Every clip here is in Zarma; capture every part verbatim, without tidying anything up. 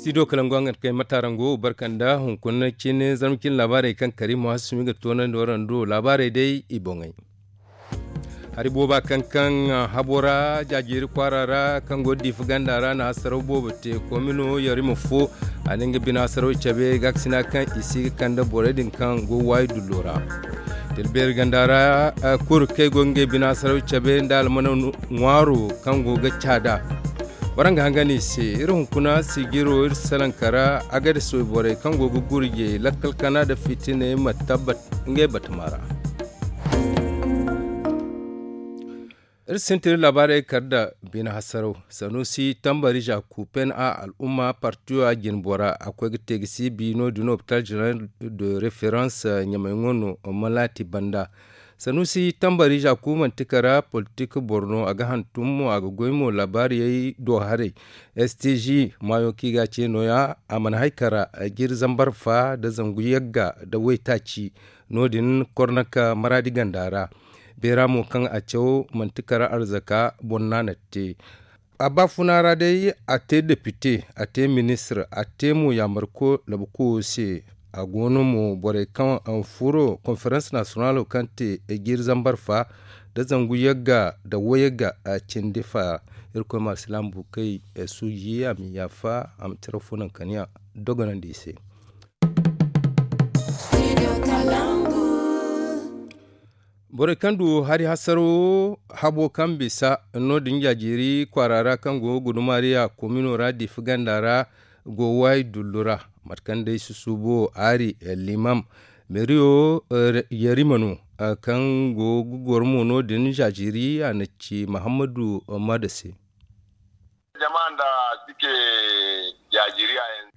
I do kala ngo nga kay matarango barkanda hunkuna cine zarma cine laabaarey kaŋ kari mo hasumi ga toonandi warando laabaarey day i boŋey. Hari booba kaŋ kaŋ habo ra jaajeeri kwaara ra kaŋ go diifa ganda ra na hasaraw boobo te komino yarima fo a na nga bine hasaraw cabe gaakasina kaŋ i si ga kande borey din kaŋ go waayi dullo ra. Tilbeeri ganda ra kuru kaŋ ay go ga ngey bine hasaraw cabe nda almana ŋwaaro kaŋ go ga caada. Waraŋ ga hangan i se iri hunkuna siijiro iri salaŋ kara agades wayborey kaŋ go ga gurjey lakkal kana nda fitiney ma tabbat ngey batama ra. Iri sintin iri laabaarey kar nda bine hasaraw sanusi tambari zaku pn a al'umma partiyo a jinbora a koy ga te ga si bi no- din hopital general de reference ɲamay ŋo no malaati banda. Sanusi tambari zaku manti kara politik boro no a ga hantum mo a ga goy mo laabaariyey do haray. Stg maayo kaŋ i ga a ce nooya a mana hay kara jiri zambar fa nda zangu yagga nda waytaaci. No- din kornaka maraadi ganda ra. Beera mo kaŋ a caw manti kara arzaka boro no a na te. A baafuna ra day a te depite a te ministir a te mo yaamarko labukoyo se. A go no mo borey kaŋ furo konferans nasiyonalo kaŋ te jiiri zambar fa nda zangu yagga nda wayagga cindi fa. Irkoy ma alsilaama buukey suuji a ma i yaafa a ma cire fo naŋ kaniya dogonandi i se. Borey kaŋ du hari hasaro habo kaŋ bisa no- din jaajeeri kwaara ra kaŋ go gudumariya komino ra diifa ganda ra go waayi dullu ra. Mate kaŋ day susuubo aari limam meeriyo yarima no kaŋ go ga goro mo no- din jaajeeri a na ci mahammadu mada se.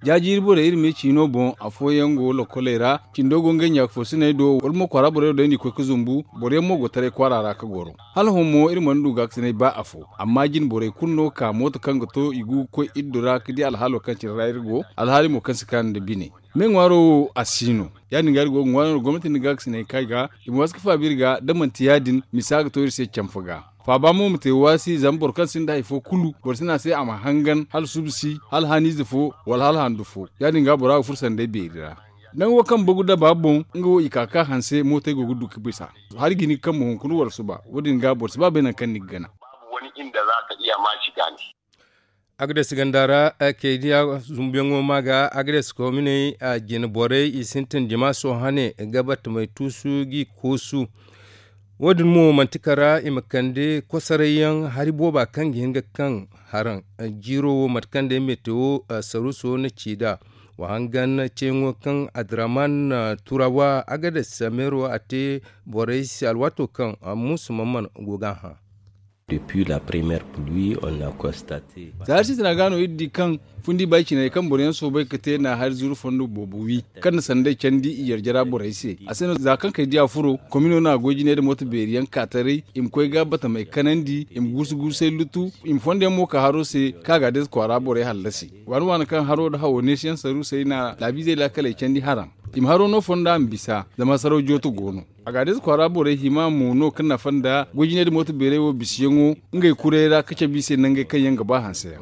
Jaajiiri borey iri ma ye ciino boŋ afooyaŋ go lakoley ra cindo go ngey ɲaaka foosiney do wala mo kwaara borey wo day no i koy ga zumbu. Boro yaŋ mo go taray kwaara ra ga goro hala hõ mo iri mana du gaakasinay ba afo. Amma jine borey kulu no ga ka mooto kaŋ ga to i go ga koy iddu ra ga di alhaalo kaŋ cine ra iri go alhaali mo kaŋ si kaanu nda bine. Me ŋwaaro wo a si no ya- din ga iri go ga ŋwaaro no gomnati nda gaakasinay kaŋ ay ga i ma waasu ga faabi iri ga da manti ya- din misa ga to iri se camfa ga. Faaba mo ma te waasi zama boro kaŋ sinda hari fo kulu boro si ne a se a ma hangan hala suba si hala haniize fo wala hala handu fo. Ya- din ga bora ga furo sanday beeri ra. Nango kaŋ bagu daba boŋ nga wo i ka ga ka hanse mootey go ga du ga bisa. Hari ga hin ga kambe hunkuna wala suba wo- din ga boro si ba bay nangu kaŋ ni ga gana. Agades ganda ra kaydiya zumbuyaŋo ma ga agades kominey jine borey i sintin jama sohane ga batamey tuusu g'i koosu. Wo- din mo manti kara i ma kande kosoray yaŋ hari booba kaŋ ga hin ga kaŋ haraŋ. Jiiro wo mate kaŋ day metewo saruuso na ci nd'a wa hangan ceeyaŋo kaŋ adraman turawa agades meero a te borey se alwaato kaŋ muusu mamman go ga a hã. Depuis la première pluie on a constaté. Za hari sintina ga no iri di kaŋ fundi bay ciney kaŋ boro yaŋ soobay ga te na hari zuru fondo boobo wi kaŋ na sanday candi i yarjara borey se. A se no za kaŋ kay diya furo komino na goy jinay nda mooto beeri yaŋ ka taray i ma koy ga batamey kanandi i ma guusu guusay lutu i ma fondo yaŋ mo ka haro se kaŋ a ga a deeza kwaara borey hallasi. Waani waani kaŋ haro nda hawo neesi yaŋ saruusey na laabiizey laakaley candi haraŋ i ma haro no fonda ma bisa zama saraw jooto go no. A ga a deeza kwaara borey hima mo no kaŋ nafa nda goy jinay nda mooto beerey wo bisiyaŋo ngey kuray ra ga cabe i se nangey kaŋ yaŋ ga ba hanse yaŋ.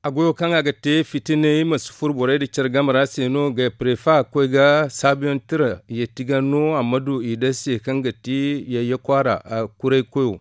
A goyo kaŋ a ga te fitiney ma si furo borey nda care game ra se no ga prefa koy ga saabuyaŋ tira yeeti ga no a ma du i day se kaŋ ga ti yayye kwaara kuray koyo.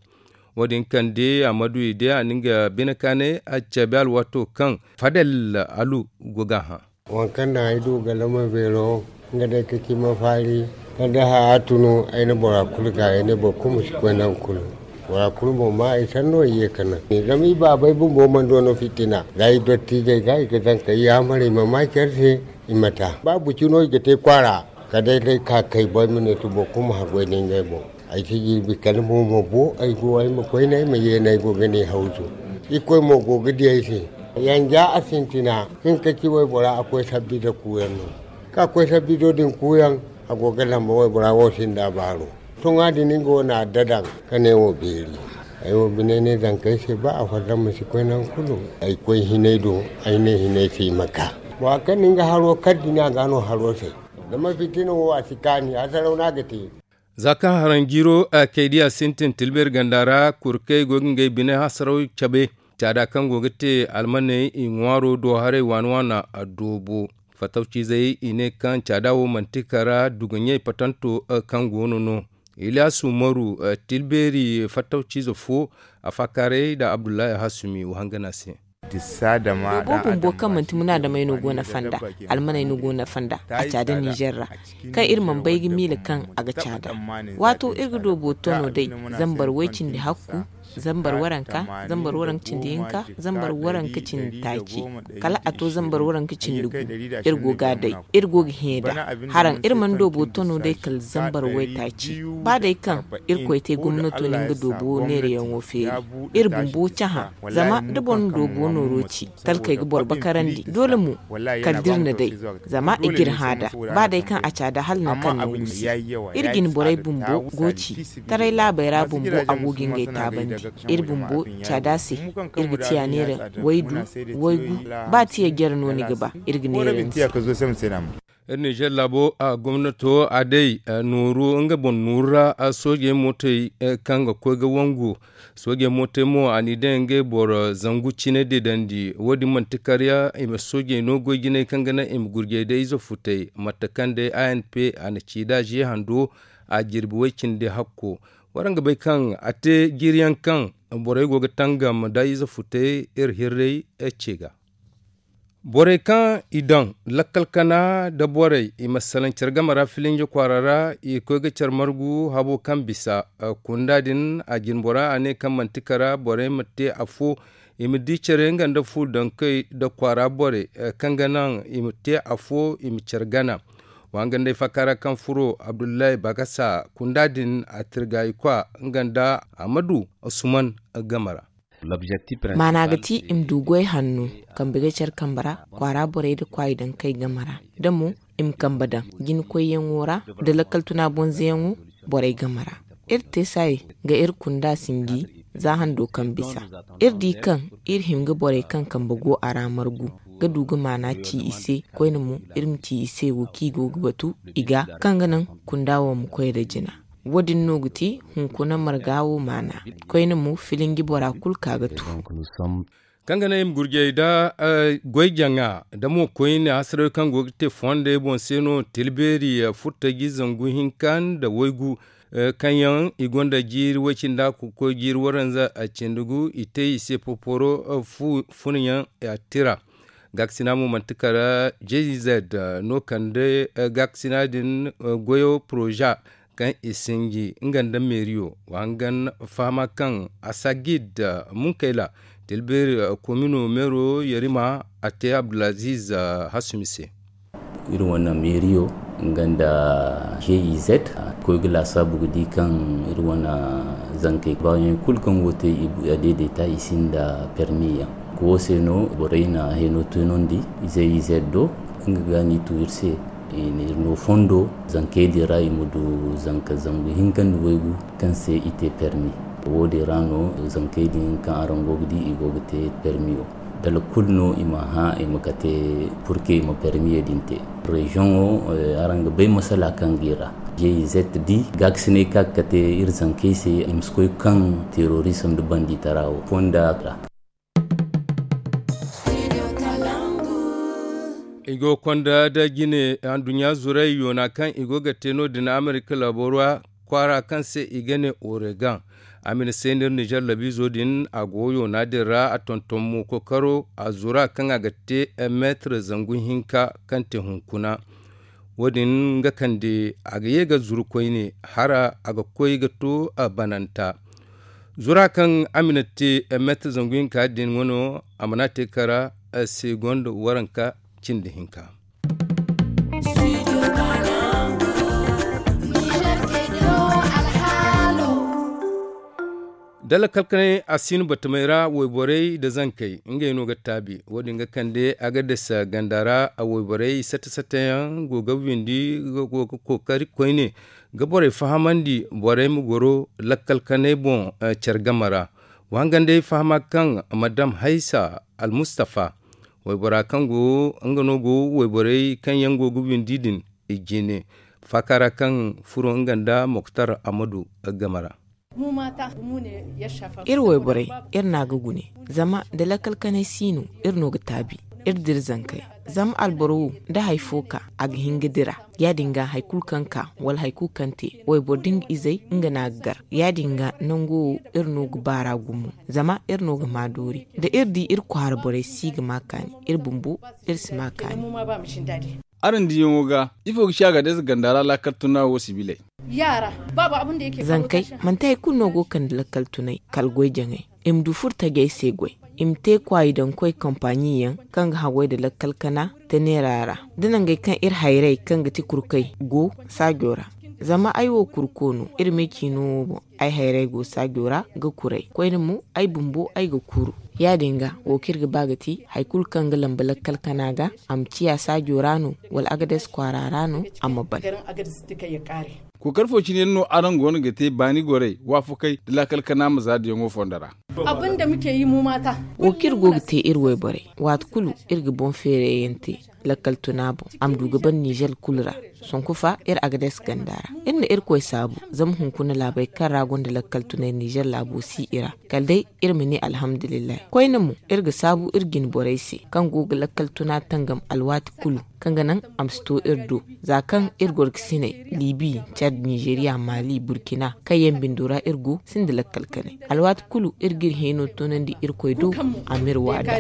Wo- din kande a ma du i day a na nga bine kaanay a cabe alwaato kaŋ fadel alu go ga a hã. Waŋ kaŋ naŋ ay du galama beero nga day ka ci ma faari. Kala day haya tunu ay na bora kulu gaay ay ne boro kulu ma si koy nangu kulu. Bora kulu boŋ ma ay sanno i ye ka naŋ zama i baabey bumbo mana do no fitina za i dottiijey ga i ga zankey yaamar i ma ma care se. I ma ta ba buci no i ga te kwaara kala day day ka kay bo ay ma ne to boro kulu ma haggoy nda ngey boŋ. Ay si jirbi kala mo ma bo ay go ay ma koyne ay ma yeene ay go ga ne hawzu. Irkoy mo go ga di ay se. Yanja a sintina hinka ci waybora a koy sabbi nda kuuyaŋ no. Ka koy sabbi do din kuuyaŋ a go ga lamba waybora wo sinda baaro. Toŋa din nga wo na dadaŋ ka ne wo beeri. Ay wo bine ne zankey se ba a farda ma si koy nangu kulu. Ay koy hinay do ay ne hinay se i ma ka. Bora kaŋ na nga haro kar din a ga no haro se. Zama fitina wo a si kaani hasaraw no a ga te. Za kaŋ haraŋ jiiro kaydiya sintin tilbeeri ganda ra kurkey go ga ngey bine hasaraw cabe. Caada kaŋ go ga te almaney i ŋwaaro do haray waana waana a doobo. Fattawciizey i ne kaŋ caada wo manti kara duguɲey patanto kaŋ go no no. Iliyaasu maru, tilbeeri fattawciize fo, a faakaaray nda abdullahi hasumi wo hangana se. Boobo bumbo kaŋ manti munaadamey no go na fanda, almaney no go na fanda a caada nizer ra, kaŋ iri mana bay ga miila kaŋ a ga caada. Waato iri ga doobo tono day, zambar way cindi hakku, zambar waranka, zambar waranka cindi hinka, zambar waranka cindi taaci, kala a to zambar waranka cindi gu. Iri go ga a day, iri go ga hẽ nd'a. Haraŋ iri mana doobo tono day kala zambar waytaaci. Ba day kaŋ irkoy te gomnato na nga doobo neerayaŋo feeri, iri bumbo cahã. Zama da boro na doobo nooro ci, talkey ga boro bakarandi doole mo, kala da iri na day. Zama i g'iri hã nd'a, ba day kaŋ a caada hala nangu kaŋ nangu si. Iri jine borey bumbo go ci, taray laabey ra bumbo a go ga ngey taabandi. Iri bumbo caada se, iri ga tiya neera waydu, waygu. Ba tiya jare no ni ga ba, iri ga neera ni se. Iri nizer laabo gomnato a day nooru nga boŋ nooru ra. Soojey mootey kaŋ ga koy ga wangu, soojey mootey mo a n'i daŋ ngey boro zangu cine deedandi. Wo- din manti karya i ma soojey no goy jinay kaŋ ga naŋ i ma gurjey day ize futey mate kaŋ day a n p a na ci nd'a ze hando. A jirbi way cindi hakko. Waraŋ ga bay kaŋ a te jiiri yaŋ kaŋ borey go ga tangam nda ize futey iri hirray ce ga. Borey kaŋ i daŋ lakkal kana nda borey i ma salaŋ care game ra filinje kwaara ra, i koy ga care margu habo kaŋ bisa. Kunda din a jine bora a ne kaŋ manti kara borey ma te afo, i ma di care nga nda fu dankey nda kwaara borey kaŋ ga naŋ i ma te afo i ma care gana. Wa nga nd'ay faaka ra kaŋ furo abdullahi bagasa kunda din a tirga i kwa nga nda amadu suman game ra. Maana ga ti i ma du goy hanno, kambe ga care kambe ra kwaara borey nda kwaayi dankey game ra, da mo i ma kambe daŋ jinakoyyaŋo ra, nda lakkal tuna bonzeyaŋo borey game ra. Iri te saayey ga iri kunda sinji za hando kaŋ bisa. Iri di kaŋ iri hin ga borey kaŋ kambe go a ra margu ga du ga maana ci i se. Koyne mo iri ma ci i se wo kaŋ i go ga batu i ga, kaŋ ga naŋ kunda wo ma koy nda jina. Wo- din no ga ti hunkuna marga wo maana. Koyne mo filinji bora kulu ka ga tu. Kaŋ ga naŋ i ma gurjey nda goy jaŋa nda mo koyne hasaraw kaŋ go ga te fondey boŋ se no tilbeeri furtaji zangu hinka nda waygu. Kaŋ yaŋ i gonda jiiri way cindi a ga koy jiiri waranza cindi gu i te i se poporo. Funyaŋ a tira. Gaakasina mo manti kala jz no kande gaakasina din goyo poroza kaŋ i sinji nga nda meeriyo. Wa hangan fahama kaŋ a sagid munkayla tilbeeri komino meero yarima a te abdulaziz hasumi se. Iri wane meeriyo nga nda jz koy ga laasaabu ga di kaŋ iri wane zankey baayaŋ kulu kaŋ go te a daidaita i sinda permi yaŋ. Ko wo se no borey na heno tunandi jz do nga ga ni tu iri se. Iri no fondo zankey din ra i ma du zanka zangu hinka nda waygu kaŋ se i te permi. Wo- din ra no zankey din kaŋ araŋ go ga di i go ga te permiyo. Dala kulu no i ma hã i ma kate purke i ma permiye din te. Reziyoŋo araŋ ga bay masala kaŋ ga i ra. Jz di gaakasinay kaŋ ga kate iri zankey se i ma si koy kaŋ terorisim nda banditara wo fonda ra. I go konda da jine anduɲɲa zuray yoona kaŋ i go ga te no- din amerika laabo ra kwaara kaŋ se i ga ne oregan. A ma ni seenir nizer labiizo din a go yoona din ra a tonton mo kookaro a zura kaŋ a ga te meetir zangu hinka kaŋ te hunkuna. Wo- din nga kande a ga ye ga zuru koyne hara a ga koy ga to bananta. Zura kaŋ a ma ni te meetir zangu hinka din wano a mana te kara segond waranka cindi hinka. Dala kalkanay a si no batamey ra wayborey nda zankey ngey no ga taabi. Wo- din ga kande a ga dasa ganda ra wayborey sata sata yaŋ go ga windi go ga kookari koyne ga borey fahamandi borey ma goro lakkal kanay boŋ care game ra. Wa hangan day fahama kaŋ madam haysa almustafa waybora kaŋ go nga no go wayborey kaŋ yaŋ go ga windi din i jine faaka ra kaŋ furo nga nda moktar amadu game ra. Iri wayborey, iri n'a ga gune, zama da lakkal kanay si no, iri no ga taabi. Iri dira zankey, zama alboro wo, da hari fo ka, a ga hin ga dira. Ya-din ga hari kulu kaŋ ka wala hari kulu kaŋ te, wayboro da nga izey, nga no a ga gar. Ya-din ga nango wo, iri no ga baar'a gumo, zama iri no ga maa doori. Da iri di iri kwaara borey si ga maa kaani, iri bumbo, iri si maa kaani. Araŋ diyaŋo ga, ifo ga ci a ga deesa ganda ra laakal tuna wo sibiley? Zankey, manti hari kulu no go ga kande lakkal tunay, kala goy jaŋay. I ma du furo tajey se goy. I ma te kwaayi daŋ koy kampaaɲi yaŋ, kaŋ ga haggoy nda lakkal kana, teneera ra, da nangey kaŋ iri hayrey kaŋ ga ti kurkey go saajo ra. Zama ay wo kurko no, iri me ciino wo boŋ, ay hayrey go saajo ra ga kuray. Koyne mo, ay bumbo, ay ga kuru. Ya-din ga, wo kaŋ iri ga ba ga ti, hari kulu kaŋ ga lamba lakkal kana ga, a ma ciya saajo ra no, wala agades kwaara ra no, a ma ban. Kookari fo cine yaŋ no araŋ go no ga te baani gorey, waafakey da laakal kana ma za diyaŋo fondo ra? Wo kaŋ iri go ga te iri wayborey, waati kulu, iri ga boŋ feerayyaŋ te lakkal tuna boŋ, a ma du ga ban nizer kulu ra. Sonku fa, iri agades ganda ra, iri na irkoy saabu, zama hunkuna laabey kaŋ ra gonda lakkal tunay nizer laabo si i ra. Kala day, iri ma ne alhamdulillahi. Koyne mo, iri ga saabu iri jine borey se, kaŋ go ga lakkal tuna tangam alwaati kulu, kaŋ ga naŋ a ma si to iri do. Za kaŋ iri gorkasiney, libi, cad, nizeriya, mali, burkina, kaŋ yaŋ bindo ra iri go, sinda lakkal kanay. Alwaati kulu, iri ga iri hino toonandi irkoy do, a m'iri waada.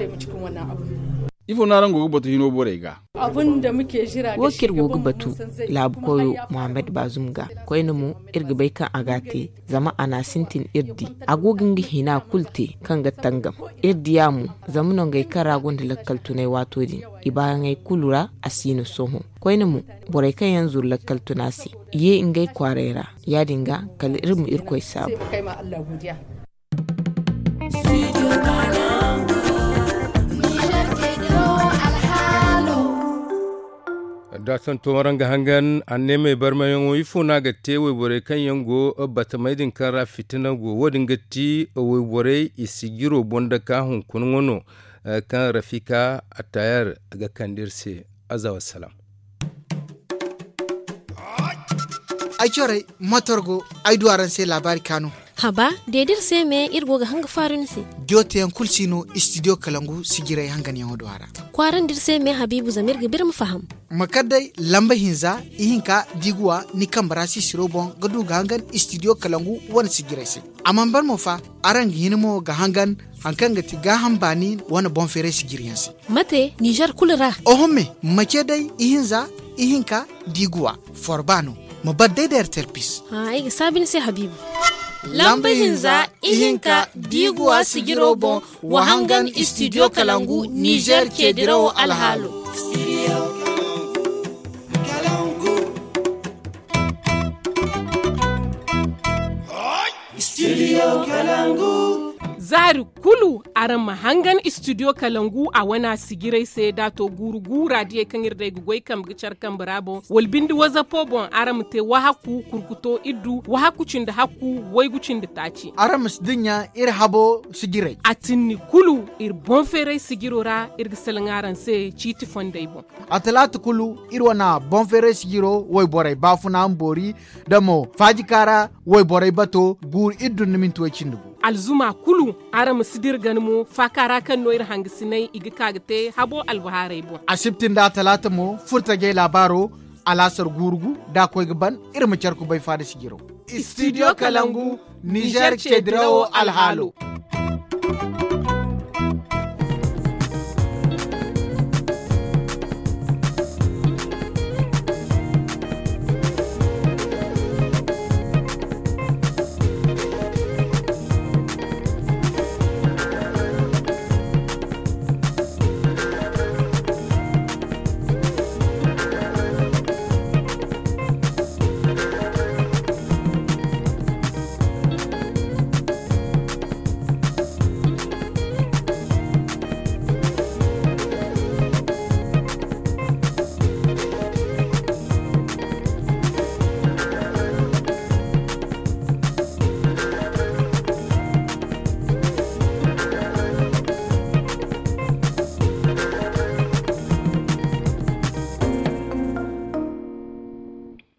Ifo no araŋ go ga batu hino borey ga? Wo kaŋ iri go ga batu laabu koyo, muhammad bazum ga, koyne mo, iri ga bay kaŋ a ga a te, zama a n'a sintin iri di. A go ga nga hina kulu te, kaŋ ga tangam. Iri diya mo, zama nangey kaŋ ra gonda lakkal tunay waato din, i baayaŋey kulu ra, a si no sohõ. Koyne mo, borey kaŋ yaŋ zuru lakkal tuna se, i ye ngey kwaarey ra. Ya-din ga, kala iri ma irkoy saabu. Da santo maraŋ ga hangan, anneemey barmayaŋo ifo no a ga te wayborey kaŋ yaŋ go batamey din kaŋ ra fitina go? Wo-din ga ti wayborey i sijiro boŋ dake hunkuna ŋwa no, kaŋ rafika attayar ga kande iri se. Aza wassalam. Ay corey, motor go, ay du araŋ se laabaari kaanu. Haba, de da iri se me, iri go ga hanga faaru ni se. Jooteyaŋ kulu si no istidiyo kalangu sijirey hanganyaŋo do a ra. Kwaarandi iri se me, habiibu, zama iri ga ba iri ma faham. Ma kar day lamba hinza, ihinka, diiguwa ni kambe ra sisiro boŋ ga du ga hangan istidiyo kalangu wane sijirey se. A mana ban mo fa, araŋ ga hin mo ga hangan hari kaŋ ga ti gaaham baani wane boŋ feeray sijiriyaŋ se. Mate, nizer kulu ra? Oho me, ma ce day ihinza, ihinka, diiguwa, forba no. Ma bar day da ertel pis. Ay ga saabu ni se, habiibu. Lamba hinza, ihinka, diiguwa sijiro boŋ, wa hangan istidiyo kalangu nizer ce dirawo alhaalo. Zaari kulu, araŋ ma hangan istidiyo kalangu a wana sijirey se, da a to guuru guura diyey kaŋ iri day ga goy kambe ga care kambe ra boŋ, wala bindi wazapo boŋ, araŋ ma te wahakku kurkuto iddu wahakku cindi hakku waygu cindi taaci. Araŋ ma si dinya iri habo sijirey. A tinni kulu, iri boŋ feeray sijiro ra, iri ga salaŋ araŋ se ciiti fondey boŋ. A talaata kulu, iri wana boŋ feeray sijiro wayborey baafuna ma boori, da mo faajika ra wayborey bato guuru iddu nda minti way cindi gu. Alzuma kulu, araŋ ma si dira gana mo faaka ra kaŋ no iri hangasiney i ga ka ga te habo albahaarey boŋ. Asibti nda atalaata mo, furtajey laabaaro, alaasar guuru gu, da a koy ga ban, iri ma care kubay faada sijiro. Istidiyo kalangu, nizer ce dirawo alhaalo.